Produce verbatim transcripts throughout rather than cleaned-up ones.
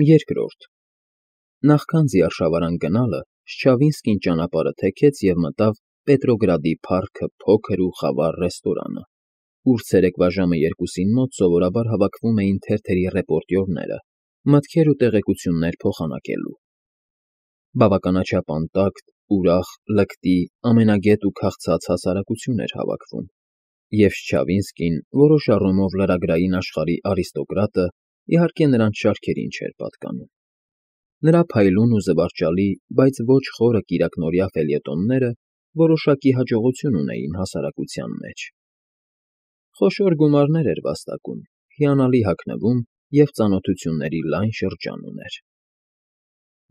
Երկրորդ Նախքան ձիարշավարան գնալը Շչավինսկին ճանապարհը թեքեց և մտավ Պետրոգրադի փառքը փոքր ու խավար ռեստորանը, ուր ցերեկվա ժամը երկուսին մոտ սովորաբար հավաքվում էին թերթերի ռեպորտյորները՝ մտքեր ու տեղեկություններ փոխանակելու։ Բավականաչափ անտակտ, ուրախ, լկտի, ամենագետ ու քաղցած հասարակություն էր հավաքվում, և Շչավինսկին որոշ առումով լրագրային աշխարհի արիստոկրատը, իհարկե, նրանց շարքերին չէր պատկանում։ Նրա փայլուն ու զվարճալի, բայց ոչ խորը կիրակնօրյա ֆելյետոնները որոշակի հաջողություն ունեին հասարակության մեջ։ Խոշոր գումարներ էր վաստակում, հիանալի հագնվում և ծանոթությունների լայն շրջան ուներ։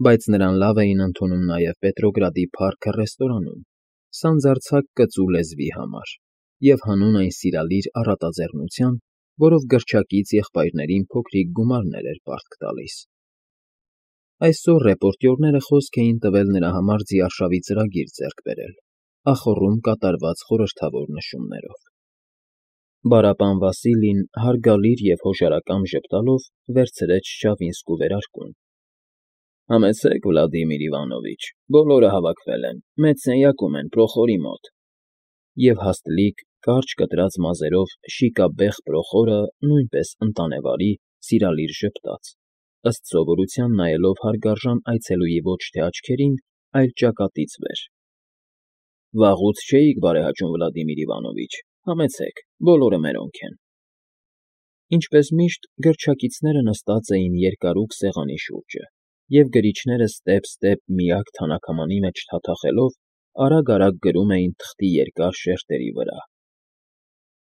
Բայց նրան լավ էին ընդունում նաև Պետրոգրադի փառքը ռեստորանում, սանձարձակ կծու լեզվի համար, և հանուն այն սիրալիր առատաձեռնության, որով գրչակից եղբայրներին փոքրիկ գումարներ էր պարտք տալիս։ Այսօր ռեպորտյորները խոսք էին տվել նրա համար ձիարշավի ծրագիր ձեռք բերել, ախոռում կատարված խորհրդավոր նշումներով։ Բարապան Վասիլին հարգալից և հոժարակամ ժպտալով վերցրեց Շչավինսկու վերարկուն։ ֊ Համեցեք, Վլադիմիր Իվանովիչ, բոլորը հավաքվել են, մեծ սենյակում են, Պրոխորի մոտ։ Եվ հաստլիկ, կարճ կտրած մազերով շիկաբեղ Պրոխորը նույնպես ընտանեվարի, սիրալիր ժպտաց, ըստ սովորության նայելով հարգարժան այցելուի ոչ թե աչքերին, այլ ճակատից վեր։ ֊ Վաղուց չէիք բարեհաճում, Վլադիմիր Իվանովիչ, համեցեք, բոլորը մերոնք են։ Ինչպես միշտ, գրչակիցները նստած էին երկարուկ սեղանի շուրջը, և գրիչները ստեպ֊ստեպ միակ թանաքամանի մեջ թաթախելով արագ֊արագ գրում էին թղթի երկար շերտերի վրա։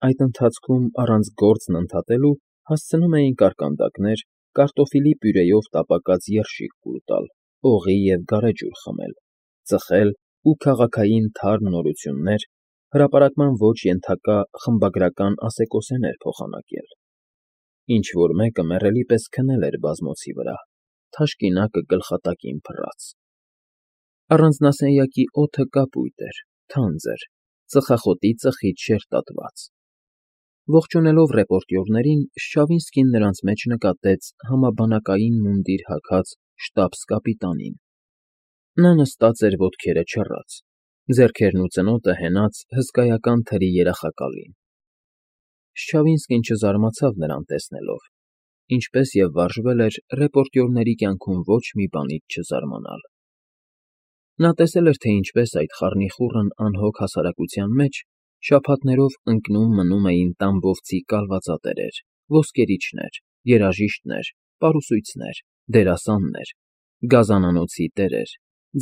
Այդ ընթացքում առանց գործն ընդհատելու հասցնում էին կարկանդակներ, կարտոֆիլի պյուրեով տապակած երշիկ կուլ տալ, օղի և գարեջուր խմել, ծխել ու քաղաքային թարմ նորություններ, հրապարակման ոչ ենթակա խմբագրական ասեկոսեներ փոխանակել։ Ինչ֊որ մեկը մեռելի պես քնել էր բազմոցի վրա, թաշկինակը գլխատակին փռած։ Առանձնասենյակի օդը կապույտ էր, թանձր, ծխախոտի ծխից շերտատված։ Ողջունելով ռեպորտյորներին, Շչավինսկին նրանց մեջ նկատեց համաբանակային մունդիր հագած շտաբս֊կապիտանին։ Նա նստած էր ոտքերը չռած, ձեռքերն ու ծնոտը հենած հսկայական թրի երախակալին։ Շչավինսկին չզարմացավ նրան տեսնելով, ինչպես և վարժվել էր ռեպորտյորների կյանքում ոչ մի բանից չզարմանալ։ Նա տեսել էր, թե ինչպես այդ խառնիխուռն անհոգ հասարակության մեջ շաբաթներով ընկնում֊մնում էին տամբովցի կալվածատերեր, ոսկերիչներ, երաժիշտներ, պարուսույցներ, դերասաններ, գազանանոցի տերեր,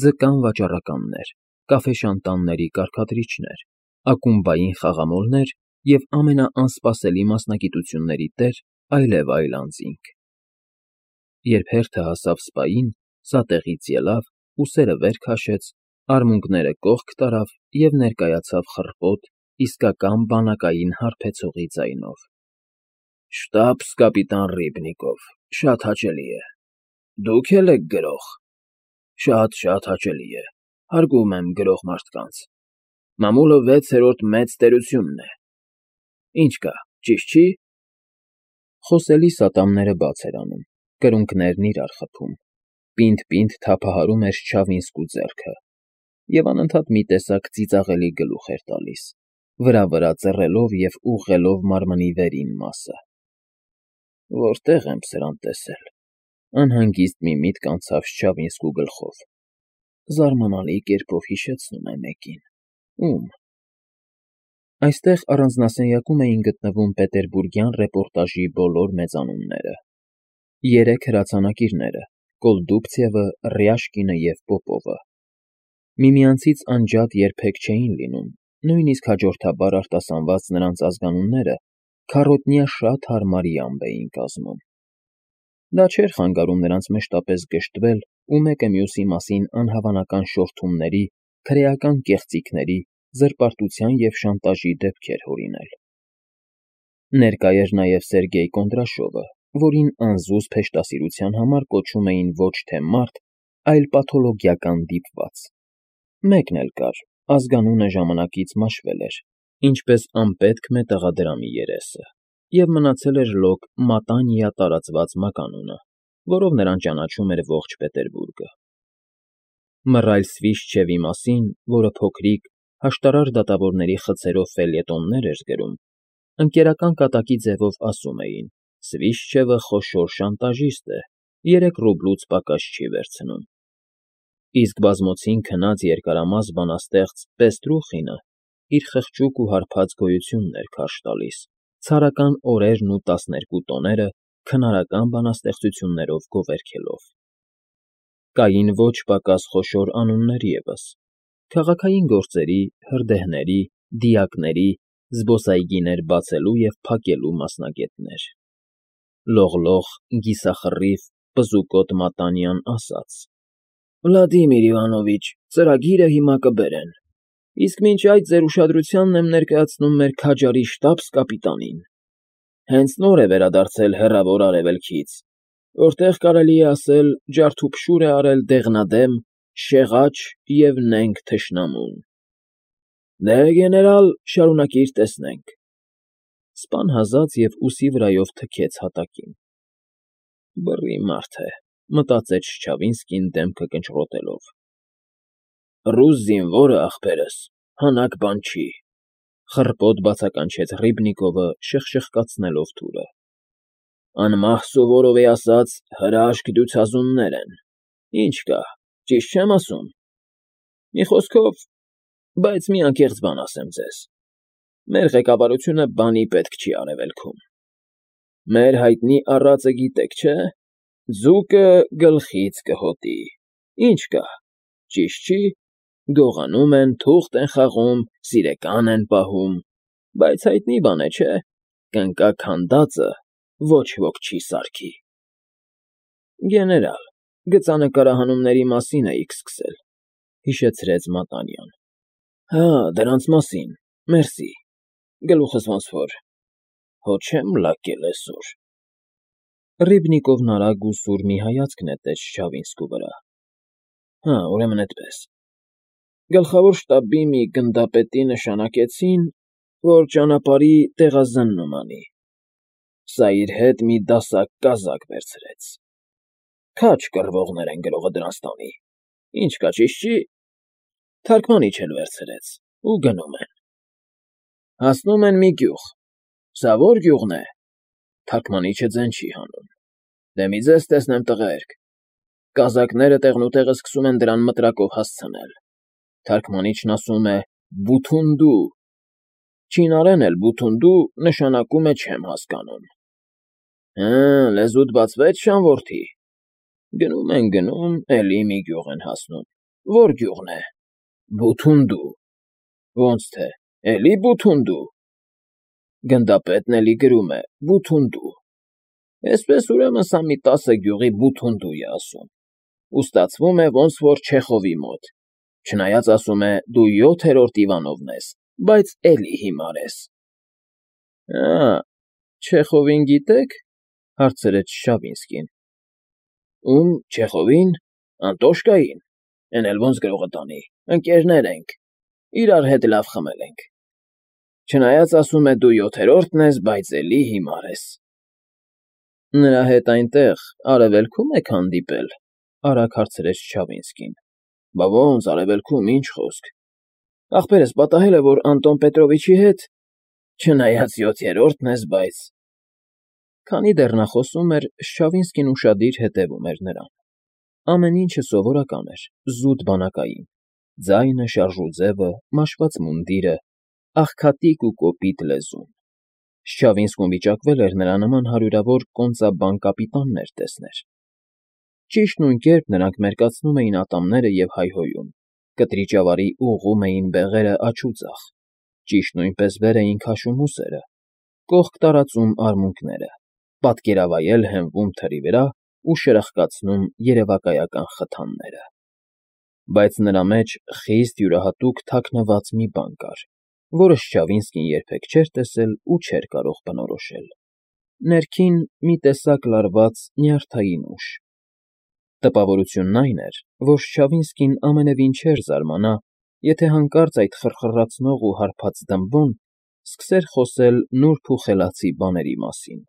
ձկան վաճառականներ, կաֆեշանտանների կարգադրիչներ, ակումբային խաղամոլներ և ամենաանսպասելի մասնագիտությունների տեր այլև այլ անձինք։ Երբ հերթը հասավ սպային, սատեղից ելավ, ուսերը վեր քաշեց, արմունկները կողք տարավ և ներկայացավ խռպոտ, իսկական բանակային հարբեցողի ձայնով. ֊ Շտաբս֊կապիտան Ռիբնիկով, շատ հաճելի է։ Դուք է՞լ եք գրող։ Շատ֊շատ հաճելի է, հարգում եմ գրող մարդկանց։ Մամուլը վեցերորդ մեծ տերությունն է։ Ինչ կա, ճիշտ չի։ Խոսելիս ատամները բաց էր անում, կրունկներն իրար խփում, պինդ֊պինդ թափահարում էր Շչավինսկու ձեռքը և անընդհատ մի տեսակ ծիծաղելի գլուխ էր տալիս, վրա֊վրա ծռելով և ուղղելով մարմնի վերին մասը։ Որտե՞ղ եմ սրան տեսել, անհանգիստ մի միտք անցավ Շչավինսկու գլխով, զարմանալի կերպով հիշեցնում է մեկին, ում… Այստեղ առանձնասենյակում էին գտնվում պետերբուրգյան ռեպորտաժի բոլոր մեծանունները, երեք հրացանակիրները՝ Կոլդուբցևը, Ռյաշկինը և Պոպովը։ Միմյանցից անջատ երբեք չէին լինում, նույնիսկ հաջորդաբար արտասանված նրանց ազգանունները քառոտնյա շատ հարմար յամբ էին կազմում։ Դա չէր խանգարում նրանց մշտապես գժտվել ու մեկը մյուսի մասին անհավանական շորթումների, քրեական կեղծիքների, զրպարտության և շանտաժի դեպքեր հորինել։ Ներկա էր նաև Սերգեյ Կոնդրաշովը, որին անզուսպ հեշտասիրության համար կոչում էին ոչ թե մարդ, այլ պաթոլոգիական դիպված։ Մեկն էլ կար, ազգանունը ժամանակից մաշվել էր, ինչպես անպետք մետաղադրամի երեսը, և մնացել էր լոկ Մատանիա տարածված մականունը, որով նրան ճանաչում էր ողջ Պետերբուրգը։ Մռայլ Սվիշչևի մասին, որը փոքրիկ, հաշտարար դատավորների խցերով ֆելյետոններ էր գրում, ընկերական կատակի ձևով ասում էին. «Սվիշչևը խոշոր շանտաժիստ է, երեք ռուբլուց պակաս չի վերցնում»։ Իսկ բազմոցին քնած երկարամաս բանաստեղծ Պեստրուխինը իր խղճուկ ու հարբած գոյությունն էր քարշ տալիս, ցարական օրերն ու տասներկու տոները քնարական բանաստեղծություններով գովերգելով։ Կային ոչ պակաս խոշոր անուններ ևս. քաղաքային գործերի, հրդեհների, դիակների, զբոսայգիներ բացելու և փակելու մասնագետներ։ Լողլող, կիսախռիվ, պզուկոտ Մատանյան ասաց. «Վլադիմիր Իվանովիչ, ծրագիրը հիմա կբերեն, իսկ մինչ այդ ձեր ուշադրությանն եմ ներկայացնում մեր քաջարի շտաբս֊կապիտանին։ Հենց նոր է վերադարձել Հեռավոր Արևելքից, որտեղ, կարելի է ասել, ջարդուփշուր է արել դեղնադեմ, շեղաչ և նենգ թշնամուն։ Դե, գեներալ, շարունակիր տեսնենք»։ Սպան հազաց և ուսի վրայով թքեց հատակին։ «Բռի մարդ է», մտածեց Չչավինսկին դեմքը կնճռոտելով։ «Ռուս զինվորը, ախպերս, հանաք բան չի», խռպոտ բացականչեց Ռիբնիկովը, շխշխկացնելով թուրը։ «Անմահ Սովորովի ասած, հրաշք դյուցազուններ են։ Ինչ կա, ճիշտ չեմ ասում։ Մի խոսքով, բայց մի անկեղծ բան ասեմ ձեզ. մեր ղեկավարությունը բանի պետք չի Արևելքում։ Մեր հայտնի առածը գիտեք, չէ՞, ձուկը գլխից կհոտի։ Ինչ կա, ճիշտ չի, գողանում են, թուղթ են խաղում, սիրեկան են պահում, բայց հայտնի բան է, չէ՞, կնկա քանդածը ոչ ոք չի սարքի»։ «Գեներալ, գծանկարահանումների մասին էիք սկսել», հիշեցրեց Մատանյան։ «Հա, դրանց մասին, մերսի, գլուխս ոնց որ, հո չեմ լակել էսօր»։ Ռիբնիկովն արագ ու սուր մի հայացք նետեց Չչավինսկու վրա։ «Հա, ուրեմն էդպես։ Գլխավոր շտաբի մի գնդապետի նշանակեցին, որ ճանապարհի տեղազննում անի։ Սա իր հետ մի դասակ կազակ վերցրեց։ Քաջ կռվողներ են գրողը դրանց տանի։ Ինչ կա, ճիշտ չի։ Թարգմանիչ էլ վերցրեց ու գնում են։ Հասնում են մի գյուղ։ Սա ո՞ր գյուղն է։ Թարգմանիչը ձեն չի հանում։ Դե մի ձեզ տեսնեմ, տղերք։ Կազակները տեղնուտեղը սկսում են դրան մտրակով հասցնել։ Թարգմանիչն ասում է բութունդու։ Չինարեն էլ բութունդու նշանակում է չեմ հասկանում։ Հը, լեզուդ բացվեց, Շանվորթի։ Գնում են գնում, էլի մի գյուղ են հասնում։ Ո՞ր գյուղն է։ Բութունդու։ Ոնց թե, էլի բութունդու։ Գնդապետն էլի գրում է բութունդու։ Էսպես ուրեմն սա մի տասը գյուղի բութունդու է ասում։ Ու ստացվում է ոնց որ Չեխովի մոտ։ Չնայած ասում է դու յոթերորդ Իվանովն ես, բայց էլի հիմար ես։ Ա, Չեխովին գիտեք, հարցրեց Չչավինսկին։ Ում Չեխովին, Անտոշկային, էն էլ ոնց գրողը տանի, ընկերներ ենք, իրար հետ լավ խմել ենք։ Չնայած ասում է դու յոթերորդն ես, բայց էլի հիմար ես։ Նրա հետ այնտեղ Արևելքո՞ւմ եք հանդիպել, արագ հարցրեց Չչավինսկին։ Բա ոնց Արևելքում, ինչ խոսք։ Ախպերս պատահել է, որ Անտոն Պետրովիչի հետ, չնայած յոթերորդն ես, բայց… Քանի դեռ նա խոսում էր, Չչավինսկին ուշադիր հետևում էր նրան։ Ամեն ինչը սովորական էր, զուտ բանակային, ձայնը, շարժուձևը, մաշված մունդիրը, աղքատիկ ու կոպիտ լեզուն։ Չչավինսկուն վիճակվել էր նրա նման հարյուրավոր կոնծաբան կապիտաններ տեսնել։ Ճիշտ նույն կերպ նրանք մերկացնում էին ատամները և հայհոյում, կտրիճավարի ուղղում էին բեղերը աջ ու ձախ, ճիշտ նույնպես վեր էին քաշում ուսերը, կողք տարածում արմունկները, պատկերավայել հենվում թրի վրա ու շրխկացնում երևակայական խթանները։ Բայց նրա մեջ խիստ յուրահատուկ թաքնված մի բան կար, որը Չչավինսկին երբեք չէր տեսել ու չէր կարող բնորոշել։ Ներքին մի տեսակ լարված նյարդային ուժ։ Տպավորությունն այն էր, որ Չչավինսկին ամենևին չէր զարմանա, եթե հանկարծ այդ խռխռացնող ու հարբած դմբոն սկսեր խոսել նուրբ ու խելացի բաների մասին,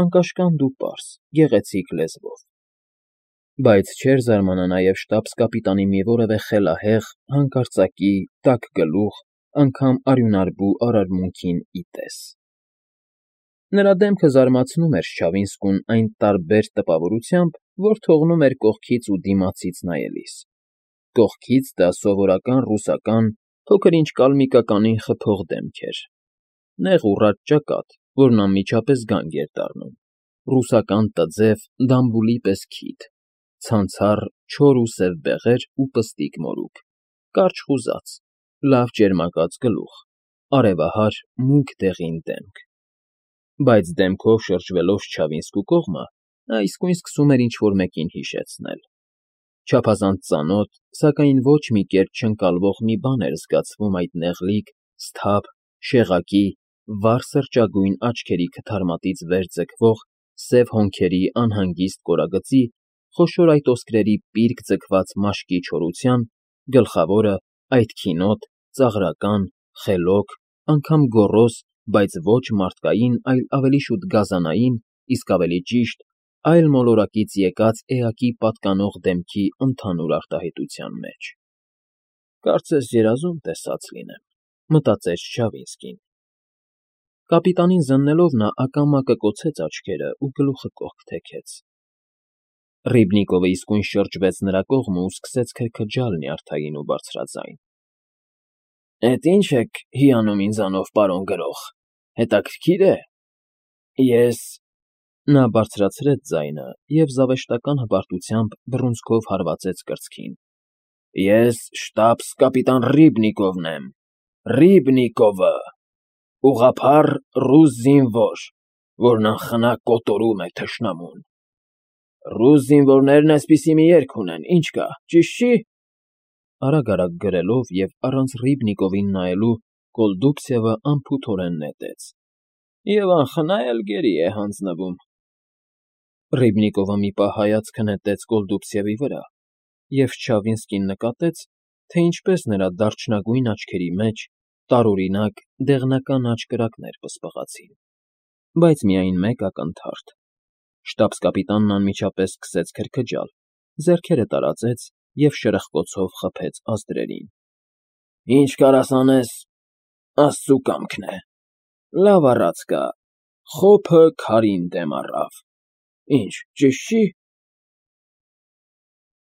անկաշկանդ ու պարզ, գեղեցիկ լեզվով։ Բայց չէր զարմանա նաև շտաբս֊կապիտանի մի որևէ խելահեղ, հանկարծակի, տաք գլուխ, անգամ արյունարբու արարմունքին ի տես։ Նրա դեմքը զարմացնում էր Չավինսկուն այն տարբեր տպավորությամբ, որ թողնում էր կողքից ու դիմացից նայելիս. կողքից դա սովորական ռուսական, փոքր֊ինչ կալմիկականին խփող դեմք էր, նեղ ուռած ճակատ, որն անմիջապես գանգ էր դառնում, ռուսական տձև դամբուլի պես քիթ, ցանցառ չոր ու սև բեղեր ու պստիկ մորուք, կարճ խուզած, լավ ճերմակած գլուխ, արևահար, մուգ դեղին դեմք։ Բայց դեմքով շրջվելով Չավինսկու կողմը, նա իսկույն սկսում էր ինչ֊որ մեկին հիշեցնել. չափազանց ծանոթ, սակայն ոչ մի կերպ չընկալվող մի բան էր զգացվում այդ նեղլիկ, սթափ, շեղակի, վառ սրճագույն աչքերի քթարմատից վեր ձգվող սև հոնքերի անհանգիստ կորագծի, խոշոր այդ ոսկրերի պիրկ ձգված մաշկի չորության, գլխավորը, այդ քինոտ, ծաղրական, խելոք, անգամ գոռոզ, բայց ոչ մարդկային, այլ ավելի շուտ գազանային, իսկ ավելի ճիշտ, այլ մոլորակից եկած էակի պատկանող դեմքի ընդհանուր արտահայտության մեջ։ «Կարծես երազում տեսած լինեմ», մտածեց Չավինսկին։ Կապիտանին զննելով նա ակամա կկոցեց աչքերը ու գլուխը կողք թեքեց։ Ռիբնիկովը իսկույն շրջվեց նրա կողմը ու սկսեց քրքջալ նյարդային ու բարձրաձայն. ֊ Էդ ի՞նչ եք հիանում ինձանով, պարոն գրող, հետաքրքիր է, ես… Նա բարձրացրեց ձայնը և զավեշտական հպարտությամբ բռունցքով հարվածեց կրծքին. ես շտաբս֊կապիտան Ռիբնիկովն եմ, Ռիբնիկովը, ուղղափառ ռուս զինվոր, որն անխնա կոտորում է թշնամուն… Ռուս զինվորներն էսպիսի մի երգ ունեն, ինչ կա, ճիշտ չի… Արագ֊արագ գրելով և առանց Ռիբնիկովին նայելու Կոլդուբցևը անփութորեն նետեց. և անխնա էլ գերի է հանձնվում… Ռիբնիկովը մի պահ հայացքը նետեց Կոլդուբցևի վրա, և Չավինսկին նկատեց, թե ինչպես նրա դարչնագույն աչքերի մեջ տարօրինակ, դեղնական աջ կրակներ պսպղացին, բայց միայն մեկ ակնթարթ… Շտաբս֊կապիտանն անմիջապես սկսեց քրքջալ, ձեռքերը տարածեց և շրխկոցով խփեց ազդրերին։ ֊ Ինչ կարաս անես, աստծու կամքն է… Լավ առած կա, խոփը քարին դեմ առավ… Ի՞նչ, ճիշտ չի…